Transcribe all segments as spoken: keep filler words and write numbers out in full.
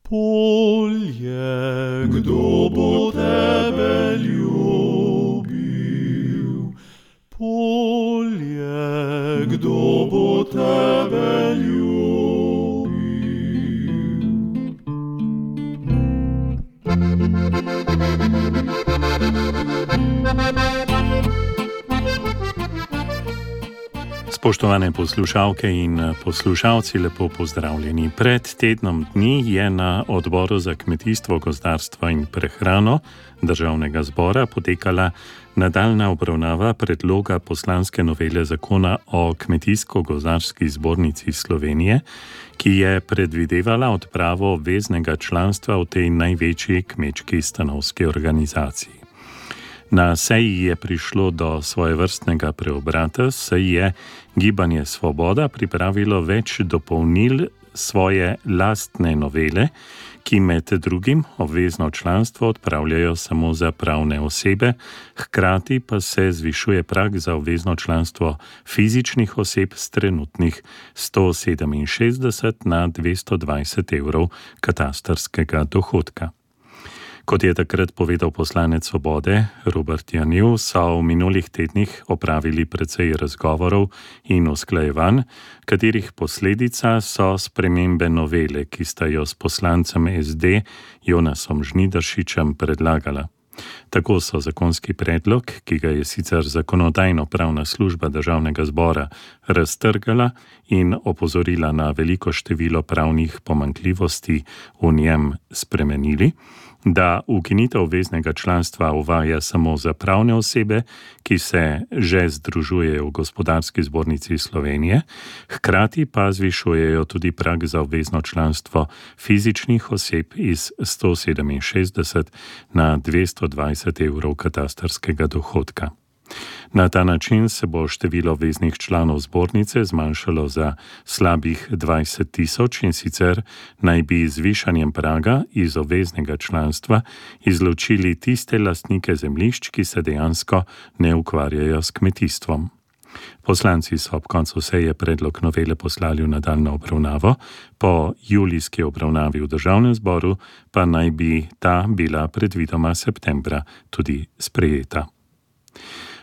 Polje, kdo bo tebe ljubil? Polje, kdo bo tebe ljubil? Spoštovane poslušalke in poslušalci, lepo pozdravljeni. Pred tednom dni je na Odboru za kmetijstvo, gozdarstvo in prehrano Državnega zbora potekala nadaljnja obravnava predloga poslanske novele zakona o Kmetijsko-gozdarski zbornici Slovenije, ki je predvidevala odpravo obveznega članstva v tej največji kmečki stanovski organizaciji. Na seji je prišlo do svojevrstnega preobrata, saj je Gibanje Svoboda pripravilo več dopolnil svoje lastne novele, ki med drugim obvezno članstvo odpravljajo samo za pravne osebe, hkrati pa se zvišuje prag za obvezno članstvo fizičnih oseb s trenutnih sto sedeminšestdeset na dvesto dvajset evrov katastrskega dohodka. Kot je takrat povedal poslanec Svobode Robert Janiv, so v minulih tednih opravili precej razgovorov in usklajevanj, katerih posledica so spremembe novele, ki sta jo s poslancem es de Jonasom Žnidaršičem predlagala. Tako so zakonski predlog, ki ga je sicer Zakonodajno-pravna služba Državnega zbora raztrgala in opozorila na veliko število pravnih pomanjkljivosti v njem, spremenili, da ukinitev obveznega članstva uvaja samo za pravne osebe, ki se že združujejo v Gospodarski zbornici Slovenije, hkrati pa zvišujejo tudi prag za obvezno članstvo fizičnih oseb iz sto sedeminšestdeset na dvesto dvajset evrov katastrskega dohodka. Na ta način se bo število obveznih članov zbornice zmanjšalo za slabih dvajset tisoč, in sicer naj bi z višanjem praga iz obveznega članstva izločili tiste lastnike zemljišč, ki se dejansko ne ukvarjajo s kmetijstvom. Poslanci so ob koncu seje predlog novele poslali v nadaljnjo obravnavo, po julijski obravnavi v Državnem zboru pa naj bi ta bila predvidoma septembra tudi sprejeta.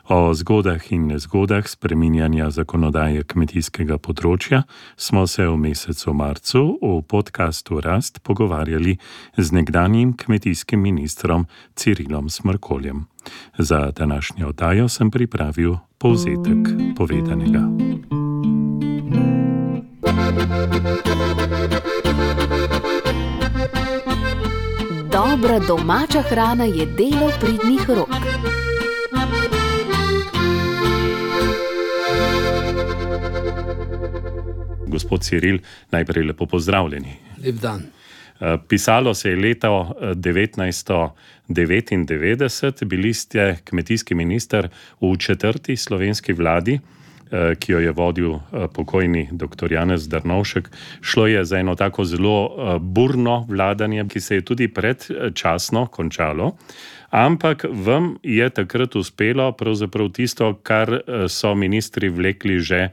O zgodah in nezgodah spreminjanja zakonodaje kmetijskega področja smo se v mesecu marcu v podkastu Rast pogovarjali z nekdanjim kmetijskim ministrom Cirilom Smrkoljem. Za današnjo oddajo sem pripravil povzetek povedanega. Dobra domača hrana je delo pridnih rok. Gospod Ciril, najprej lepo pozdravljeni. Lep dan. Pisalo se je leto devetnajststo devetindevetdeset, bili ste kmetijski minister v četrti slovenski vladi, ki jo je vodil pokojni doktor Janez Drnovšek. Šlo je za eno tako zelo burno vladanje, ki se je tudi predčasno končalo, ampak vam je takrat uspelo pravzaprav tisto, kar so ministri vlekli že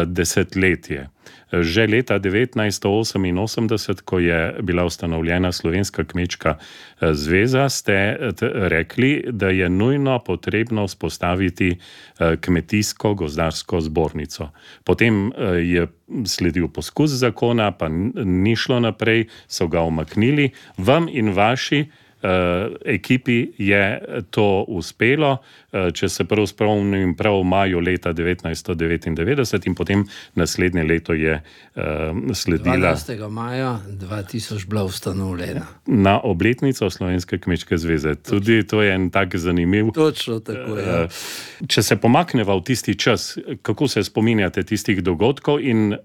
desetletje. Že leta devetnajststo oseminosemdeset, ko je bila ustanovljena Slovenska kmečka zveza, ste rekli, da je nujno potrebno vzpostaviti kmetijsko-gozdarsko zbornico. Potem je sledil poskus zakona, pa ni šlo naprej, so ga umaknili. Vam in vaši ekipi je to uspelo, če se prav spomnim, prav v maju leta devetnajststo devetindevetdeset, in potem naslednje leto je sledila dvanajstega maja dva tisoč bila ustanovljena. Na obletnico Slovenske kmečke zveze. Tudi to je en tak zanimiv. Točno tako je. Če se pomakneva v tisti čas, kako se spominjate tistih dogodkov in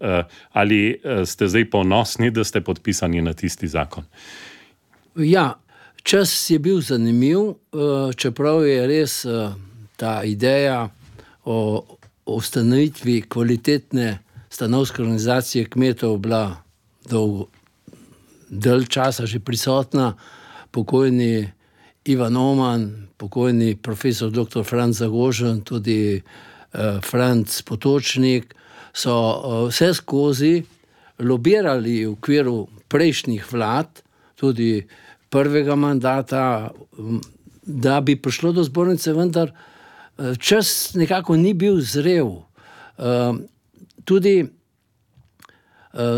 ali ste zdaj ponosni, da ste podpisani na tisti zakon? Ja, čas je bil zanimiv, čeprav je res ta ideja o ustanovitvi kvalitetne stanovske organizacije kmetov bila dolgo, dalj časa že prisotna. Pokojni Ivan Oman, pokojni profesor doktor Franc Zagožen, tudi Franc Potočnik so vse skozi lobirali v okviru prejšnjih vlad tudi prvega mandata, da bi prišlo do zbornice, vendar čas nekako ni bil zrel. Tudi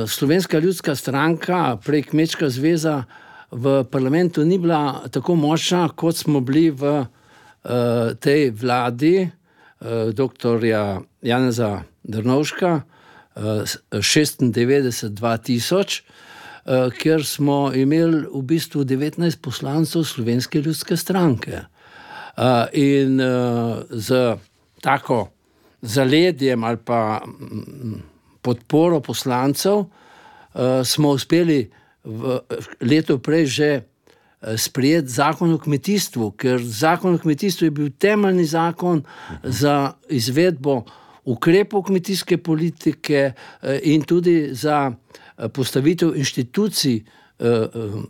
Slovenska ljudska stranka, prej Kmečka zveza, v parlamentu ni bila tako močna, kot smo bili v tej vladi doktorja Janeza Drnovška šestindevetdeset do dva tisoč, kjer smo imeli v bistvu devetnajst poslancev Slovenske ljudske stranke. In z tako zaledjem ali pa podporo poslancev smo uspeli v leto prej že sprejeti zakon o kmetijstvu, ker zakon o kmetijstvu je bil temeljni zakon za izvedbo ukrepov kmetijske politike in tudi za postavitev inštitucij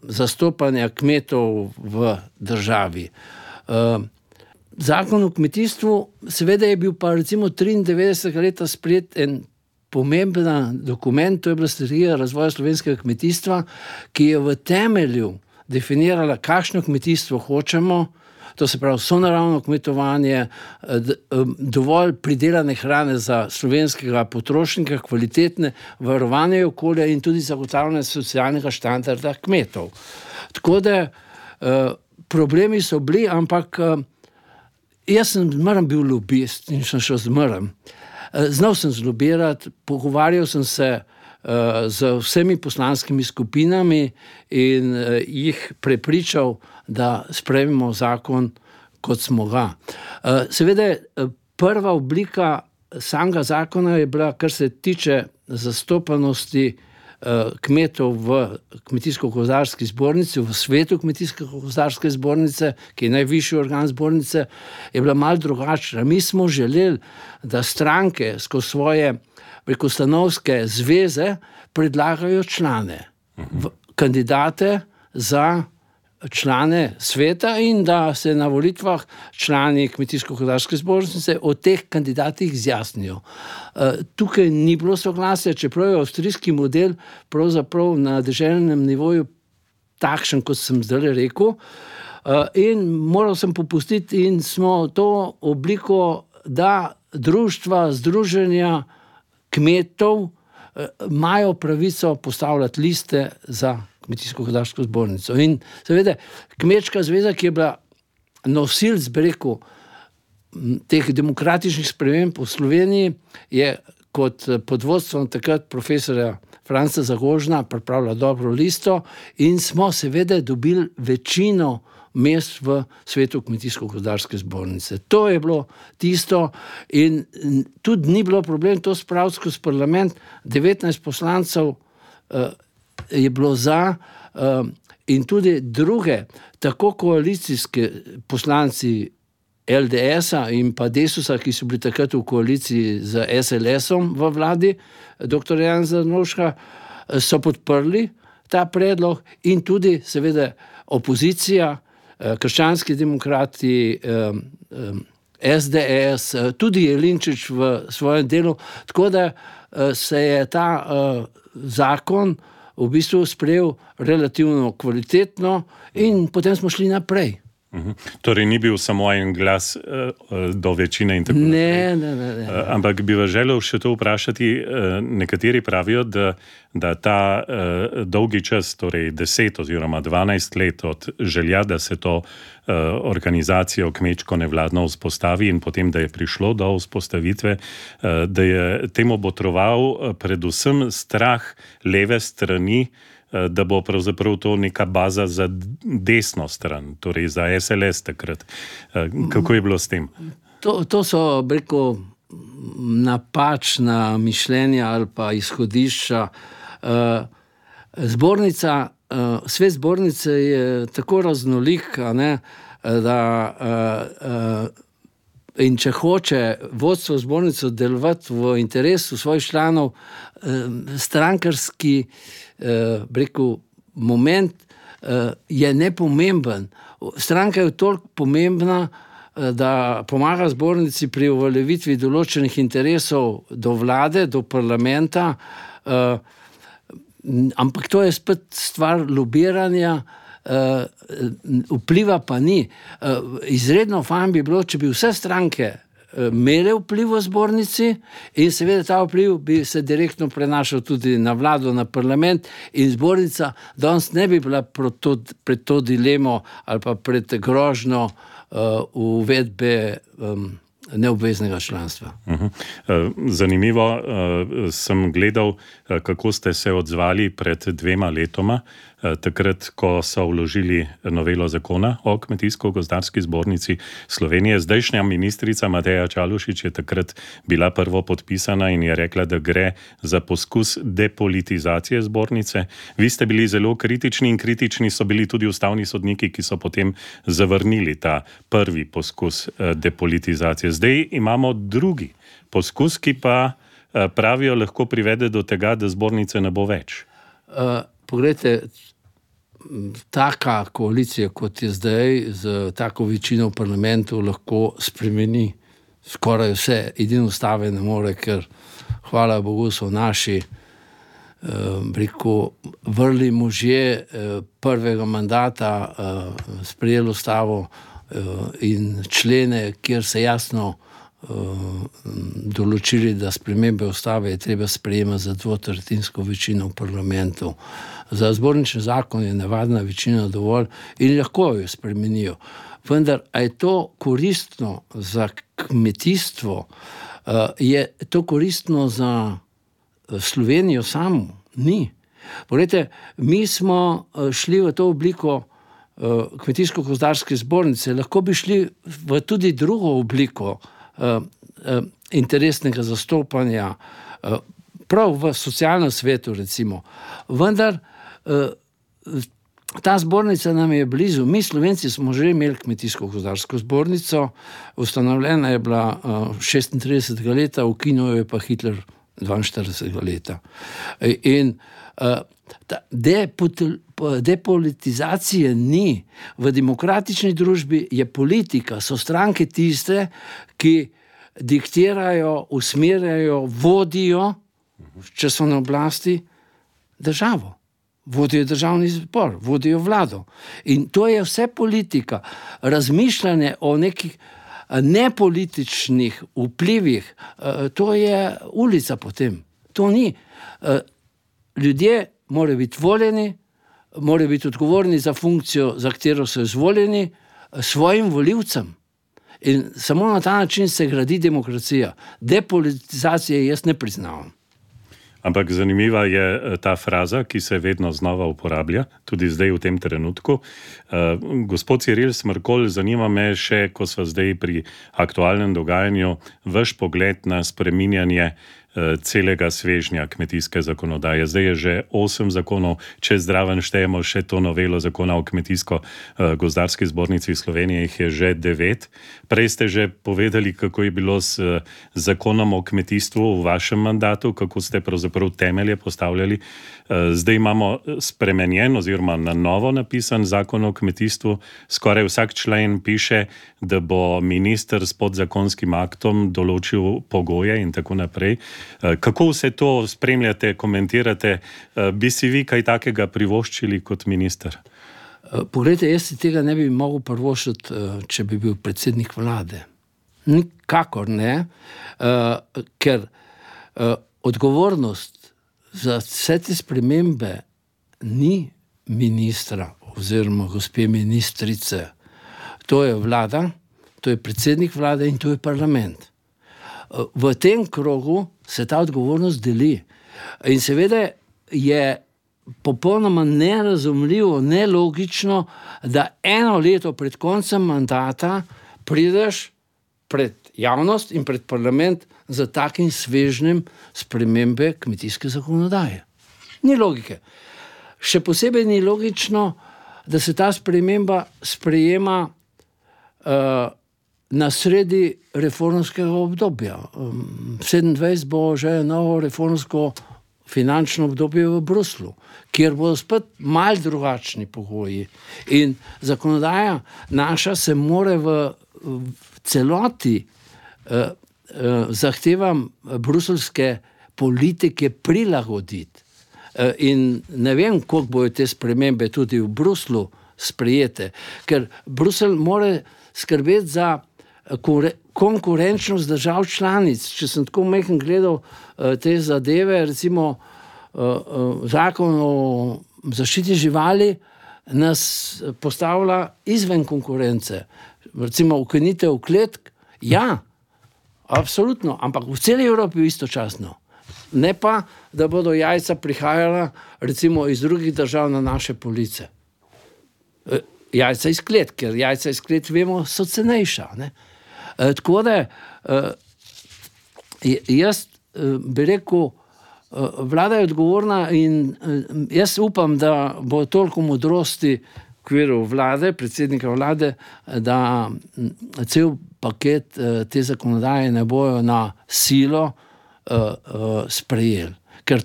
zastopanja kmetov v državi. Zakon o kmetijstvu, seveda je bil pa recimo triindevetdesetega leta sprejet en pomemben dokument, to je bila strategija razvoja slovenskega kmetijstva, ki je v temelju definirala, kakšno kmetijstvo hočemo, to se pravi sonaravno kmetovanje, dovolj pridelane hrane za slovenskega potrošnika, kvalitetne, varovanje okolja in tudi zagotavljanje socialnega standarda kmetov. Tako da problemi so bili, ampak jaz sem zmeraj bil lobist in sem še zmeraj. Znal sem zlobirati, pogovarjal sem se z vsemi poslanskimi skupinami in jih prepričal, da sprejmemo zakon, kot smo ga. Seveda, prva oblika samega zakona je bila, kar se tiče zastopanosti kmetov v Kmetijsko-gozdarski zbornici, v svetu Kmetijsko-gozdarske zbornice, ki je najvišji organ zbornice, je bila malo drugačna. Mi smo želeli, da stranke skozi svoje preko stanovske zveze predlagajo člane, kandidate za člane sveta in da se na volitvah člani Kmetijsko-gozdarske zbornice o teh kandidatih izjasnijo. Tukaj ni bilo soglasja, čeprav je avstrijski model pravzaprav na deželnem nivoju takšen, kot sem zdaj rekel, in moral sem popustiti in smo to obliko, da društva, združenja kmetov imajo pravico postavljati liste za Kmetijsko-gozdarsko zbornico. In seveda, Kmečka zveza, ki je bila nosilc, bi rekel, teh demokratičnih sprememb v Sloveniji, je kot pod vodstvom takrat profesorja Franca Zagožna pripravila dobro listo in smo seveda dobili večino mest v svetu Kmetijsko-gozdarske zbornice. To je bilo tisto in tudi ni bilo problem to spraviti skozi parlament. devetnajst poslancev je bilo za in tudi druge, tako koalicijske poslanci L D S-a in pa Desusa, ki so bili takrat v koaliciji z S L S-om v vladi, doktor Janeza Drnovška, so podprli ta predlog in tudi seveda opozicija, krščanski demokrati, S D S, tudi Jelinčič v svojem delu, tako da se je ta zakon v bistvu sprejel relativno kvalitetno in potem smo šli naprej. Uhum. Torej ni bil samo en glas uh, do večine in tako naprej. Ne, ne, ne, ne. Uh, ampak bi vas želel še to vprašati, uh, nekateri pravijo, da, da ta uh, dolgi čas, torej deset oziroma dvanajst let od želja, da se to uh, organizacijo kmečko nevladno vzpostavi in potem, da je prišlo do vzpostavitve, uh, da je temu botroval uh, predvsem strah leve strani, da bo pravzaprav to neka baza za desno stran, torej za S L S takrat. Kako je bilo s tem? To, to so, rekel, napačna mišljenja ali pa izhodišča. Zbornica, svet zbornice je tako raznolik, ne, da in če hoče vodstvo zbornice delovati v interesu svojih članov, strankarski rekel, moment je nepomemben. Stranka je toliko pomembna, da pomaga zbornici pri uveljavitvi določenih interesov do vlade, do parlamenta. ampak to je spet stvar lobiranja, uh, vpliva pa ni. Uh, izredno fajn bi bilo, če bi vse stranke imele vpliv v zbornici in seveda ta vpliv bi se direktno prenašal tudi na vlado, na parlament in zbornica danes ne bi bila pred to, pred to dilemo ali pa pred grožnjo uh, uvedbe um, neobveznega članstva. Zanimivo, sem gledal, kako ste se odzvali pred dvema letoma, takrat, ko so vložili novelo zakona o Kmetijsko-gozdarski zbornici Slovenije. Zdajšnja ministrica Mateja Čalušić je takrat bila prvo podpisana in je rekla, da gre za poskus depolitizacije zbornice. Vi ste bili zelo kritični in kritični so bili tudi ustavni sodniki, ki so potem zavrnili ta prvi poskus depolitizacije. Zdaj imamo drugi poskus, ki pa pravijo lahko privede do tega, da zbornice ne bo več. Uh, poglejte, taka koalicija, kot je zdaj, z tako večino v parlamentu lahko spremeni skoraj vse. Edino ustave ne more, ker hvala Bogu so naši eh, rekel, vrli možje eh, prvega mandata eh, sprejeli ustavo eh, in člene, kjer se jasno določili, da spremembe ustave je treba sprejemati za dvotretjinsko večino v parlamentu. Za zbornični zakon je navadna večina dovolj in lahko jo spremenijo. Vendar, a je to koristno za kmetijstvo? Je to koristno za Slovenijo samo? Ni. Poglejte, mi smo šli v to obliko Kmetijsko-gozdarske zbornice, lahko bi šli v tudi drugo obliko Uh, uh, interesnega zastopanja, uh, prav v socialnem svetu recimo. Vendar uh, ta zbornica nam je blizu. Mi Slovenci smo že imeli Kmetijsko-gozdarsko zbornico, ustanovljena je bila uh, šestintridesetega leta, ukinil je pa Hitler dvainštiridesetega leta. In uh, ta depolitizacije ni. V demokratični družbi je politika, so stranke tiste, ki diktirajo, usmerjajo, vodijo, če so na oblasti, državo. Vodijo državni zbor, vodijo vlado. In to je vse politika. Razmišljanje o nekih nepolitičnih vplivih, to je ulica potem. To ni. Ljudje morajo biti voljeni, morajo biti odgovorni za funkcijo, za katero so izvoljeni, svojim volivcem. In samo na ta način se gradi demokracija. Depolitizacije jaz ne priznavam. Ampak zanimiva je ta fraza, ki se vedno znova uporablja, tudi zdaj v tem trenutku. Uh, gospod Ciril Smrkolj, zanima me še, ko smo zdaj pri aktualnem dogajanju, vaš pogled na spreminjanje celega svežnja kmetijske zakonodaje. Zdaj je že osem zakonov, če zdraven štejemo še to novelo zakona o Kmetijsko-gozdarski zbornici Slovenije, jih je že devet. Prej ste že povedali, kako je bilo s zakonom o kmetijstvu v vašem mandatu, kako ste pravzaprav temelje postavljali. Zdaj imamo spremenjen oziroma na novo napisan zakon o kmetijstvu. Skoraj vsak člen piše, da bo minister s podzakonskim aktom določil pogoje in tako naprej. Kako vse to spremljate, komentirate? Bi si vi kaj takega privoščili kot minister? Poglejte, jaz si tega ne bi mogel privoščiti, če bi bil predsednik vlade. Nikakor ne, ker odgovornost za vse te spremembe ni ministra oziroma gospe ministrice. To je vlada, to je predsednik vlade in to je parlament. V tem krogu se ta odgovornost deli. In seveda je popolnoma nerazumljivo, nelogično, da eno leto pred koncem mandata prideš pred javnost in pred parlament za takim svežnjem spremembe kmetijske zakonodaje. Ni logike. Še posebej ni logično, da se ta sprememba sprejema uh, na sredi reformskega obdobja. Um, sedemindvajset bo že novo reformsko finančno obdobje v Bruslu, kjer bodo spet malo drugačni pogoji. In zakonodaja naša se more v, v celoti uh, uh, zahtevam bruselske politike prilagoditi. In ne vem, koliko bojo te spremembe tudi v Bruslu sprejete, ker Bruselj mora skrbeti za konkurenčnost držav članic. Če sem tako majhen gledal te zadeve, recimo zakon o zaščiti živali nas postavlja izven konkurence. Recimo ukinitev kletk, ja, absolutno, ampak v celi Evropi istočasno. Ne pa, da bodo jajca prihajala recimo iz drugih držav na naše police. Jajca iz klet, ker jajca iz klet, vemo, so cenejša. Ne? E, tako da, e, jaz e, bi rekel, e, vlada je odgovorna in e, jaz upam, da bo toliko modrosti v okviru vlade, predsednika vlade, da cel paket e, te zakonodaje ne bojo na silo e, e, sprejeli. Ker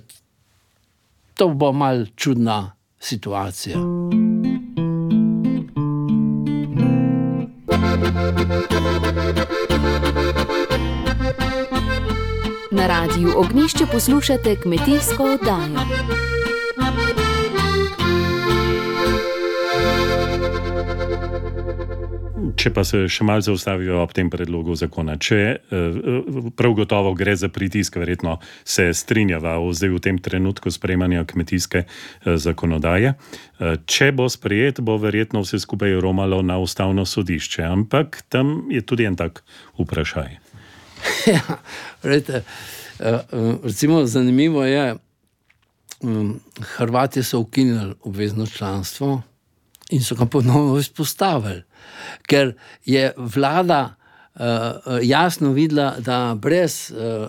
to bo mal čudna situacija. Na radiju Ognjišče poslušate kmetijsko oddajo. Če pa se še malo zaustavijo ob tem predlogu zakona, če prav gotovo gre za pritisk, verjetno se strinjava zdaj v tem trenutku sprejemanja kmetijske zakonodaje. Če bo sprejet, bo verjetno vse skupaj romalo na ustavno sodišče, ampak tam je tudi en tak vprašaj. Ja, rejte, recimo zanimivo je, Hrvatje so ukinili obvezno članstvo in so ga ponovno izpostavili, ker je vlada uh, jasno videla, da brez uh,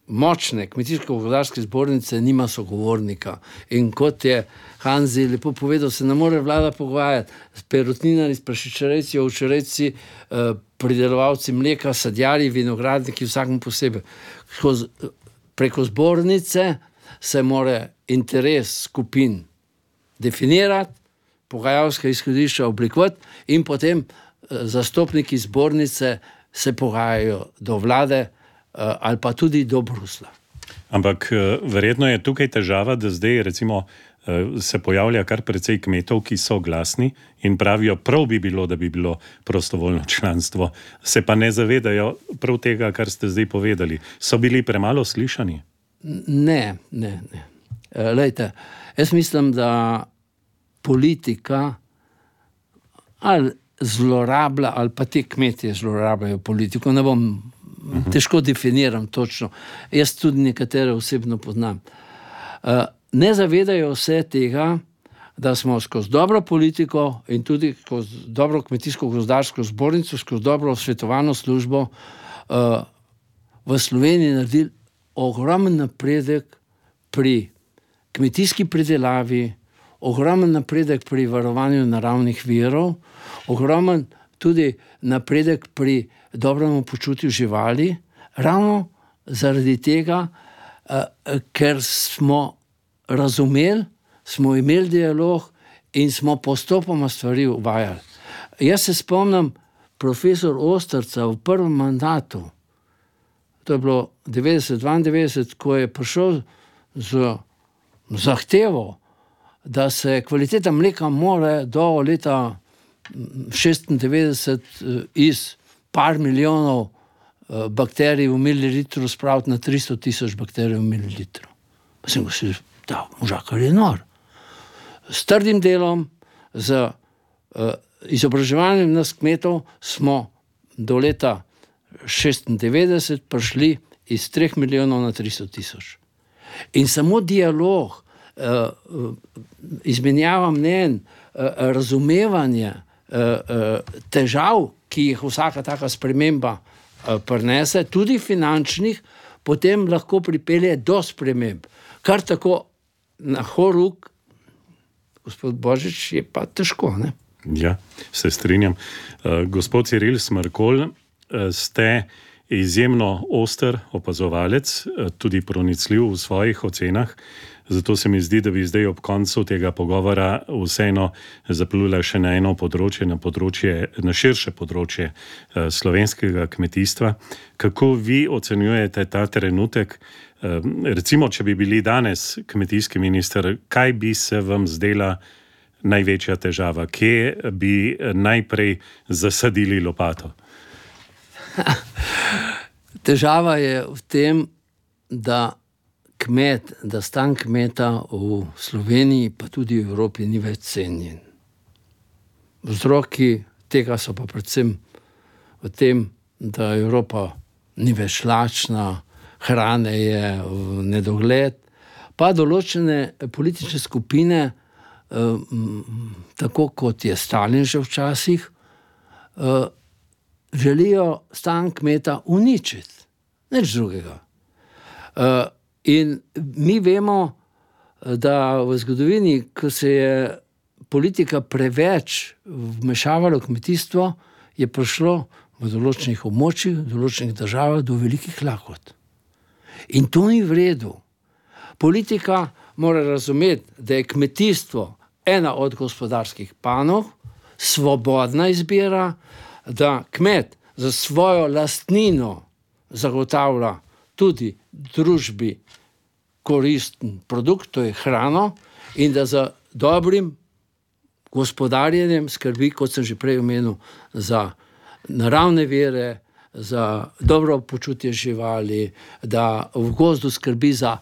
močne kmetijsko-gozdarske zbornice nima sogovornika. In kot je Hanzi lepo povedal, se ne more vlada pogovarjati s perutninami, s prašičerejci, ovčerejci, uh, pridelovalci mleka, sadjarji, vinogradniki, vsakem posebej. Skozi, preko zbornice se mora interes skupin definirati, pogajalska izhodišča oblikovati in potem eh, zastopniki zbornice se pogajajo do vlade eh, ali pa tudi do Brusla. Ampak eh, verjetno je tukaj težava, da zdaj recimo eh, se pojavlja kar precej kmetov, ki so glasni in pravijo, prav bi bilo, da bi bilo prostovoljno članstvo. Se pa ne zavedajo prav tega, kar ste zdaj povedali. So bili premalo slišani? Ne, ne, ne. E, lejte, jaz mislim, da politika ali zlorablja, ali pa te kmetje zlorabljajo politiko. Ne bom, uh-huh. težko definiram točno. Jaz tudi nekatere osebno poznam. Uh, ne zavedajo vse tega, da smo skozi dobro politiko in tudi skozi dobro kmetijsko-gozdarsko zbornico, skozi dobro svetovalno službo uh, v Sloveniji naredili ogromen napredek pri kmetijski pridelavi, ogromen napredek pri varovanju naravnih virov, ogromen tudi napredek pri dobrem počutju živali, ravno zaradi tega, eh, ker smo razumeli, smo imeli dialog in smo postopoma stvari uvajali. Jaz se spomnim profesor Osterca v prvem mandatu, to je bilo devetdeset dvaindevetdeset, ko je prišel z zahtevo, da se kvaliteta mleka mora do leta šestindevetdeset iz par milijonov bakterij v mililitru spraviti na tristo tisoč bakterij v mililitru. Pa sem go si, da, možakar je nor. S trdim delom, z uh, izobraževanjem nas kmetov smo do leta šestindevetdeset prišli iz treh milijonov na tristo tisoč. In samo dialog, uh, izmenjava mnenj, uh, razumevanje uh, težav, ki jih vsaka taka sprememba uh, prinese, tudi finančnih, potem lahko pripelje do sprememb. Kar tako na horuk, gospod Božič, je pa težko, ne? Ja, se strinjam. Uh, gospod Ciril Smrkolj, uh, ste izjemno oster opazovalec, uh, tudi pronicljiv v svojih ocenah. Zato se mi zdi, da bi zdaj ob koncu tega pogovora vseeno zaplula še na eno področje, na področje, na širše področje uh, slovenskega kmetijstva. Kako vi ocenjujete ta trenutek? Recimo, če bi bili danes kmetijski minister, kaj bi se vam zdela največja težava? Kje bi najprej zasadili lopato? Težava je v tem, da kmet, da stan kmeta v Sloveniji, pa tudi v Evropi, ni več cenjen. Vzroki tega so pa predvsem v tem, da Evropa ni več lačna, hrane je v nedogled, pa določene politične skupine, tako kot je Stalin že včasih, želijo stan kmeta uničiti. Nič drugega. In mi vemo, da v zgodovini, ko se je politika preveč vmešavala v kmetijstvo, je prišlo v določenih območjih, v določenih državah do velikih lakot. In to ni v redu. Politika mora razumeti, da je kmetijstvo ena od gospodarskih panog, svobodna izbira, da kmet za svojo lastnino zagotavlja tudi družbi koristen produkt, to je hrano, in da za dobrim gospodarjenjem skrbi, kot sem že prej omenil, za naravne vire, za dobro počutje živali, da v gozdu skrbi za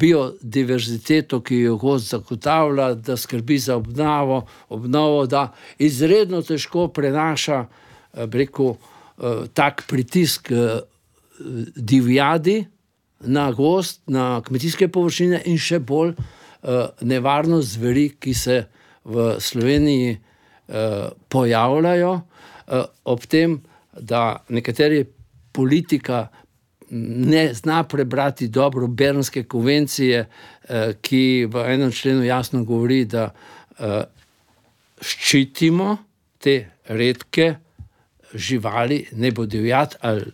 biodiverziteto, ki jo gozd zagotavlja, da skrbi za obnovo, obnovo, da izredno težko prenaša, bi rekel, tak pritisk divjadi na gozd, na kmetijske površine in še bolj nevarnost zveri, ki se v Sloveniji pojavljajo, ob tem, da nekateri politika ne zna prebrati dobro Bernske konvencije, ki v enem členu jasno govori, da ščitimo te redke živali, ne bo divjad ali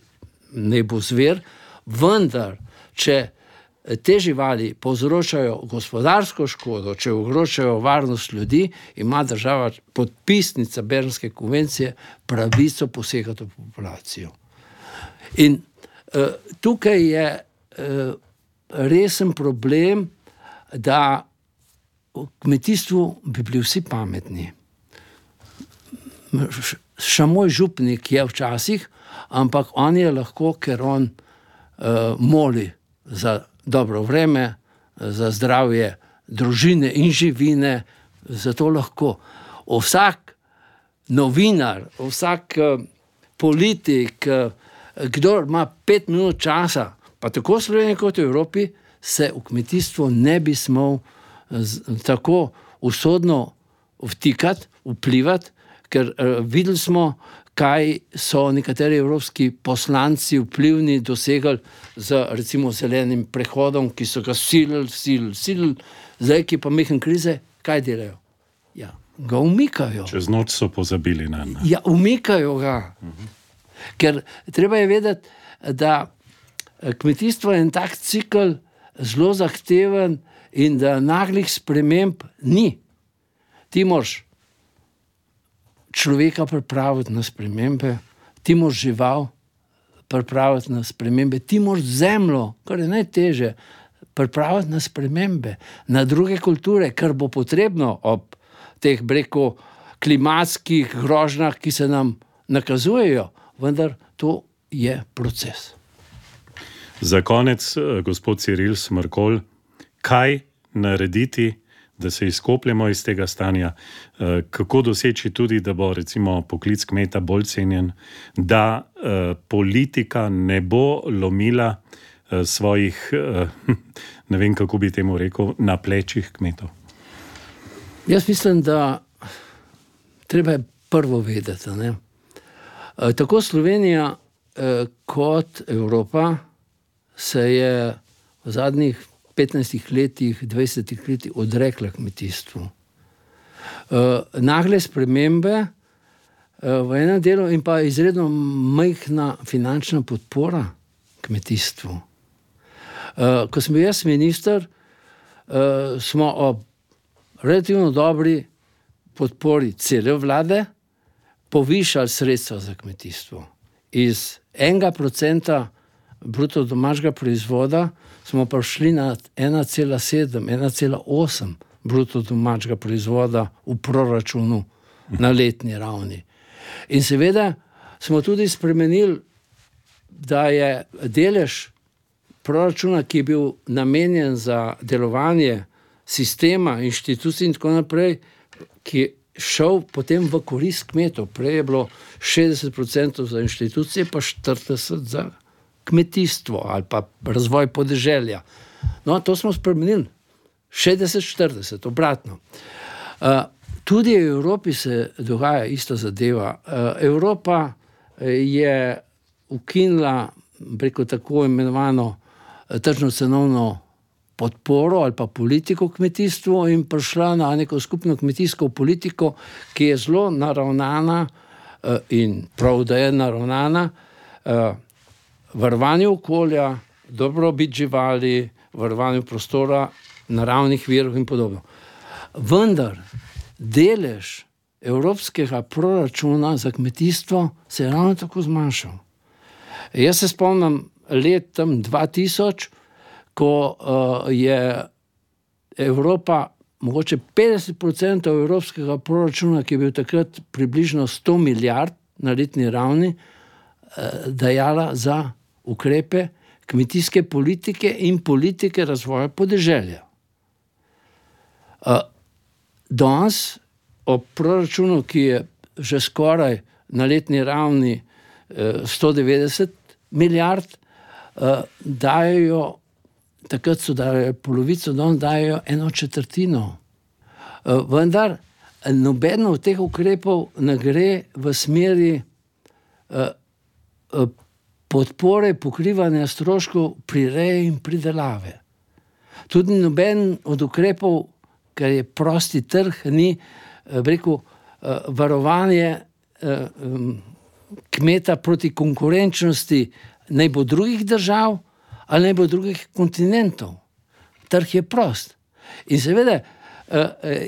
ne bo zver, vendar, če te živali povzročajo gospodarsko škodo, če ogrožajo varnost ljudi, ima država, podpisnica Bernske konvencije, pravico posegati v populacijo. In uh, tukaj je uh, resen problem, da v kmetijstvu bi bili vsi pametni. Šamoj župnik je včasih, ampak on je lahko, ker on uh, moli za dobro vreme, za zdravje družine in živine, zato lahko. Vsak novinar, vsak uh, politik, uh, kdor ima pet minut časa, pa tako v Sloveniji kot v Evropi, se v kmetijstvo ne bi smel z, tako usodno vtikati, vplivati, ker uh, videli smo, kaj so nekateri evropski poslanci vplivni dosegali z recimo zelenim prehodom, ki so ga silili, silili, silili, zdaj, ki pa mehen krize, kaj delajo? Ja, ga umikajo. Čez noč so pozabili na njega. Ja, umikajo ga. Uh-huh. Ker treba je vedeti, da kmetijstvo je en tak cikl zelo zahteven in da naglih sprememb ni. Ti moraš človeka pripraviti na spremembe, ti moraš žival pripraviti na spremembe, ti moraš zemljo, kar je najtežje, pripraviti na spremembe, na druge kulture, kar bo potrebno ob teh breko klimatskih grožnjah, ki se nam nakazujejo, vendar to je proces. Za konec, gospod Ciril Smrkolj, kaj narediti, da se izkopljemo iz tega stanja, kako doseči tudi, da bo recimo poklic kmeta bolj cenjen, da politika ne bo lomila svojih, ne vem, kako bi temu rekel, na plečih kmetov? Jaz mislim, da treba je prvo vedeti, ne? Tako Slovenija kot Evropa se je v zadnjih petnajstih letih, dvajsetih letih odrekla kmetijstvu. Uh, nagle spremembe uh, v enem delu in pa izredno majhna finančna podpora kmetijstvu. Uh, ko sem bil jaz minister, uh, smo ob relativno dobri podpori cele vlade povišali sredstva za kmetijstvo. Iz enega procenta bruto domačega proizvoda smo prišli na ena cela sedem, ena cela osem bruto domačega proizvoda v proračunu na letni ravni. In seveda smo tudi spremenili, da je delež proračuna, ki je bil namenjen za delovanje sistema, inštitucij in tako naprej, ki je šel potem v korist kmetov. Prej je bilo šestdeset procentov za inštitucije, pa štirideset za kmetijstvo ali pa razvoj podeželja. No, to smo spremenili. šestdeset štirideset, obratno. Uh, tudi v Evropi se dogaja ista zadeva. Uh, Evropa je ukinila preko tako imenovano tržno-cenovno podporo ali pa politiko kmetijstvu in prišla na neko skupno kmetijsko politiko, ki je zelo naravnana uh, in prav, da je naravnana uh, varovanju okolja, dobrobit živali, varovanju prostora, naravnih virov in podobno. Vendar delež evropskega proračuna za kmetijstvo se je ravno tako zmanjšal. Jaz se spomnim let tam dva tisoč, ko uh, je Evropa, mogoče petdeset procentov evropskega proračuna, ki je bil takrat približno sto milijard na letni ravni, uh, dajala za ukrepe kmetijske politike in politike razvoja podeželja. Uh, danes ob proračunu, ki je že skoraj na letni ravni uh, sto devetdeset milijard, uh, dajo, takrat so dajo polovico, danes dajo eno četrtino. Uh, vendar nobeno od teh ukrepov ne gre v smeri uh, uh, podpore pokrivanja stroškov prireje in pridelave. Tudi noben od ukrepov, ker je prosti trg, ni rekel, varovanje kmeta proti konkurenčnosti naj bo drugih držav ali naj bo drugih kontinentov. Trg je prost. In seveda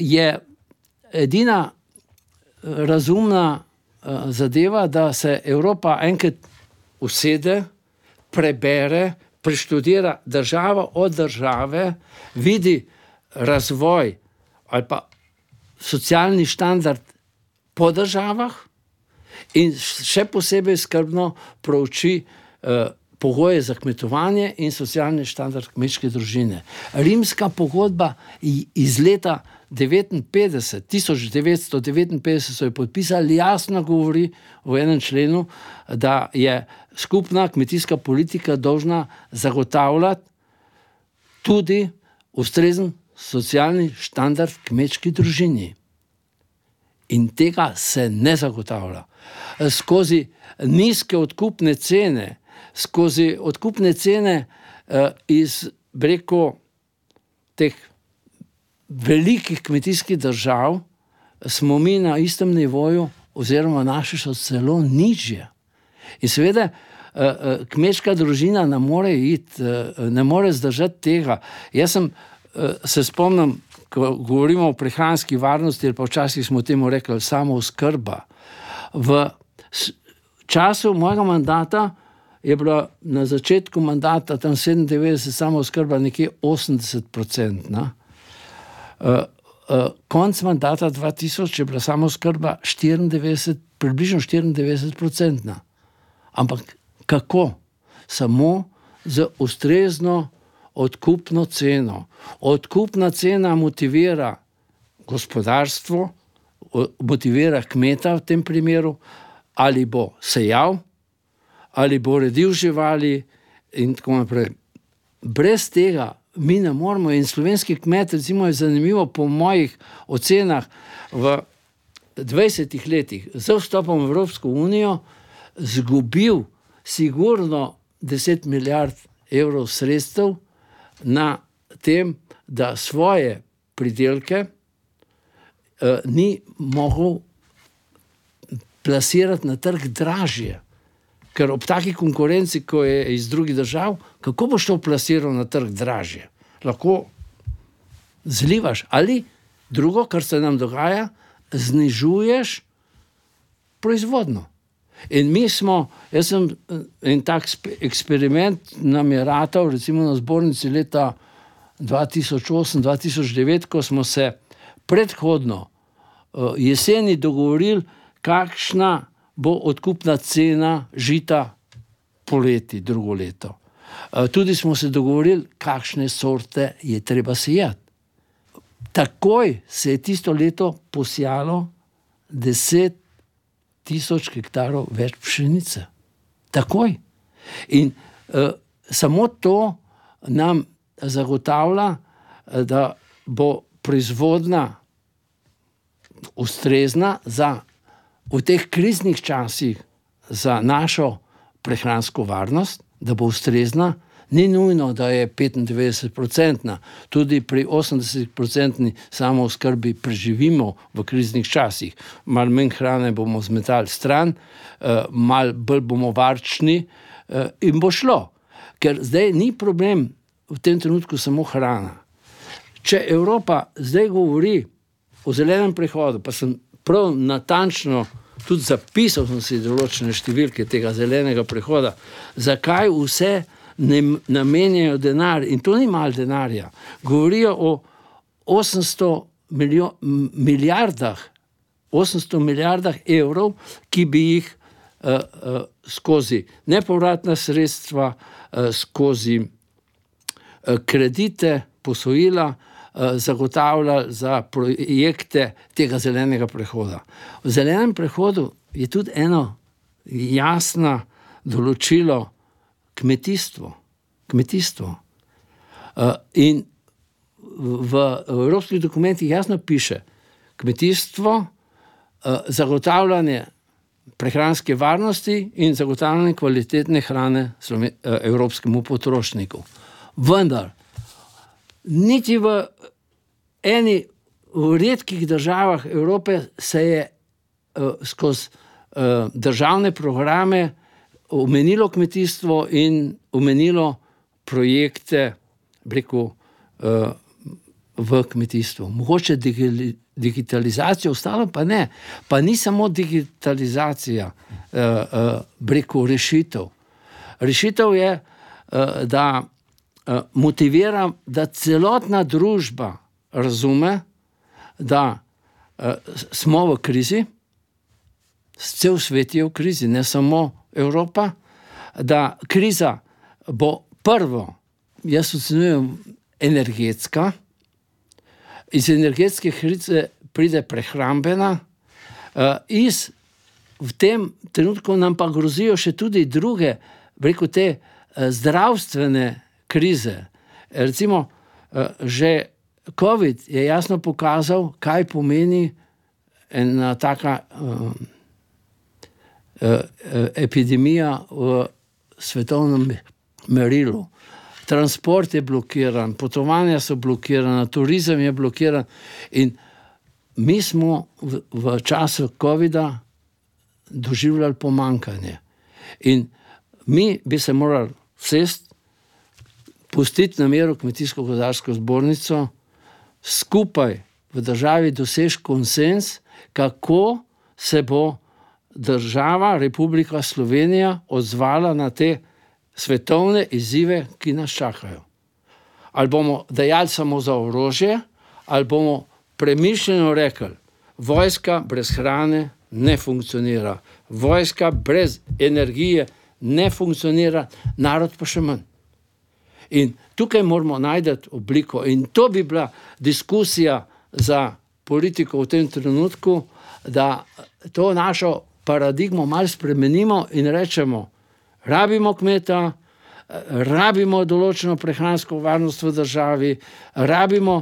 je edina razumna zadeva, da se Evropa enkrat usede, prebere, preštudira državo od države, vidi razvoj ali pa socialni standard po državah in še posebej skrbno prouči eh, pogoje za kmetovanje in socialni standard kmečke družine. Rimska pogodba iz leta devetinpetdeset, tisoč devetsto devetinpetdeset so jo podpisali, jasno govori v enem členu, da je skupna kmetijska politika dolžna zagotavljati tudi ustrezen socialni standard kmečki družini. In tega se ne zagotavlja. Skozi nizke odkupne cene, skozi odkupne cene eh, iz preko teh velikih kmetijskih držav smo mi na istem nivoju oziroma naše so celo nižje. In seveda eh, kmečka družina ne more iti, eh, ne more zdržati tega. Jaz sem se spomnim, ko govorimo o prehranski varnosti, ali pa včasih smo temu rekli samooskrba. V času mojega mandata je bila na začetku mandata tam sedemindevetdeset samooskrba nekje osemdeset procentna. Uh, uh, konc mandata dva tisoč je bila samooskrba štiriindevetdeset, približno štiriindevetdeset procentna. Ampak kako? Samo z ustrezno odkupno ceno. Odkupna cena motivira gospodarstvo, motivira kmeta v tem primeru, ali bo sejal, ali bo redil živali in tako naprej. Brez tega mi ne moramo in slovenski kmet, recimo je zanimivo po mojih ocenah v dvajsetih letih z vstopom v Evropsko unijo zgubil sigurno deset milijard evrov sredstev na tem, da svoje pridelke eh, ni mogel plasirati na trg dražje. Ker ob taki konkurenci, ko je iz drugih držav, kako boš to plasiral na trg dražje? Lahko zlivaš ali drugo, kar se nam dogaja, znižuješ proizvodno. In mi smo, jaz sem en tak eksperiment nam je ratal, recimo na zbornici leta dva tisoč osem dva tisoč devet, ko smo se predhodno jeseni dogovorili, kakšna bo odkupna cena žita poleti drugo leto. Tudi smo se dogovorili, kakšne sorte je treba sejati. Takoj se je tisto leto posijalo deset tisoč hektarov več pšenice. Takoj. In uh, samo to nam zagotavlja, da bo proizvodnja ustrezna za v teh kriznih časih za našo prehransko varnost, da bo ustrezna. Ni nujno, da je petindevetdeset procentna. Tudi pri osemdeset procentni samooskrbi preživimo v kriznih časih. Malo manj hrane bomo zmetali stran, malo bolj bomo varčni in bo šlo. Ker zdaj ni problem v tem trenutku samo hrana. Če Evropa zdaj govori o zelenem prehodu, pa sem prav natančno tudi zapisal sem si določene številke tega zelenega prehoda, zakaj vse ne namenjajo denar, in to ni malo denarja. Govorijo o osemsto milijo, milijardah, osemsto milijardah evrov, ki bi jih uh, uh, skozi nepovratna sredstva, uh, skozi uh, kredite, posojila, uh, zagotavljali za projekte tega zelenega prehoda. V zelenem prehodu je tudi eno jasno določilo kmetijstvo. Kmetijstvo. Uh, in v, v evropskih dokumentih jasno piše, kmetijstvo, uh, zagotavljanje prehranske varnosti in zagotavljanje kvalitetne hrane sloven, uh, evropskemu potrošniku. Vendar, niti v eni v redkih državah Evrope se je uh, skozi uh, državne programe omenilo kmetijstvo in omenilo projekte, rekel, v kmetijstvu. Mogoče digitalizacijo, ostalo pa ne. Pa ni samo digitalizacija, rekel, rešitev. Rešitev je, da motivira, da celotna družba razume, da smo v krizi, cel svet je v krizi, ne samo Evropa, da kriza bo prvo, jaz ocenjujem, energetska, iz energetske krize pride prehrambena, iz v tem trenutku nam pa grozijo še tudi druge, rekel, te zdravstvene krize. Recimo, že COVID je jasno pokazal, kaj pomeni ena taka epidemija v svetovnem merilu. Transport je blokiran, potovanja so blokirana, turizem je blokiran in mi smo v, v času covida doživljali pomankanje. In mi bi se morali sest, pustiti na miru Kmetijsko-gozdarsko zbornico, skupaj v državi doseči konsens, kako se bo država, Republika Slovenija odzvala na te svetovne izzive, ki nas čakajo. Ali bomo dajali samo za orožje, ali bomo premišljeno rekli, vojska brez hrane ne funkcionira, vojska brez energije ne funkcionira, narod pa še manj. In tukaj moramo najti obliko in to bi bila diskusija za politiko v tem trenutku, da to našo paradigmo malo spremenimo in rečemo, rabimo kmeta, rabimo določeno prehransko varnost v državi, rabimo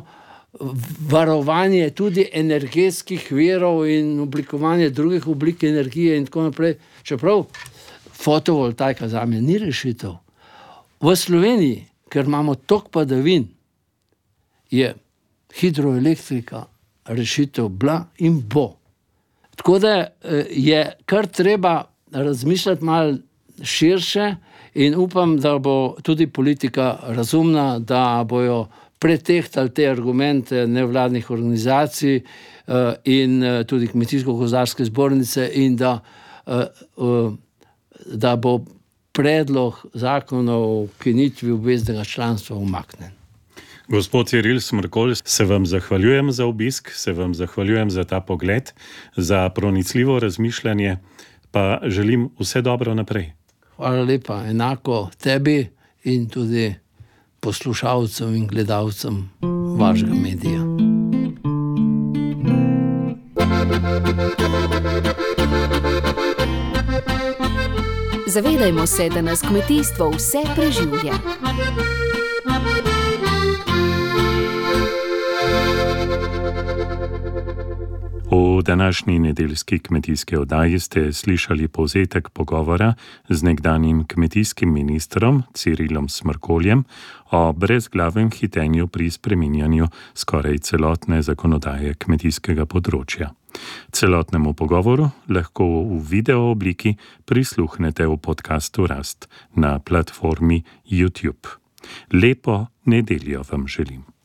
varovanje tudi energetskih virov in oblikovanje drugih oblik energije in tako naprej. Čeprav fotovoltaika zame ni rešitev. V Sloveniji, ker imamo toliko padavin, je hidroelektrika rešitev bila in bo. Tako da je kar treba razmišljati malo širše in upam, da bo tudi politika razumna, da bojo pretehtali te argumente nevladnih organizacij in tudi Kmetijsko-gozdarske zbornice in da da bo predlog zakona o ukinitvi obveznega članstva umaknjen. Gospod Ciril Smrkolj, se vam zahvaljujem za obisk, se vam zahvaljujem za ta pogled, za pronicljivo razmišljanje, pa želim vse dobro naprej. Hvala lepa, enako tebi in tudi poslušalcem in gledalcem vašega medija. Zavedajmo se, da nas kmetijstvo vse preživlja. V današnji nedeljski kmetijski oddaji ste slišali povzetek pogovora z nekdanjim kmetijskim ministrom Cirilom Smrkoljem o brezglavem hitenju pri spreminjanju skoraj celotne zakonodaje kmetijskega področja. Celotnemu pogovoru lahko v video obliki prisluhnete v podcastu Rast na platformi YouTube. Lepo nedeljo vam želim.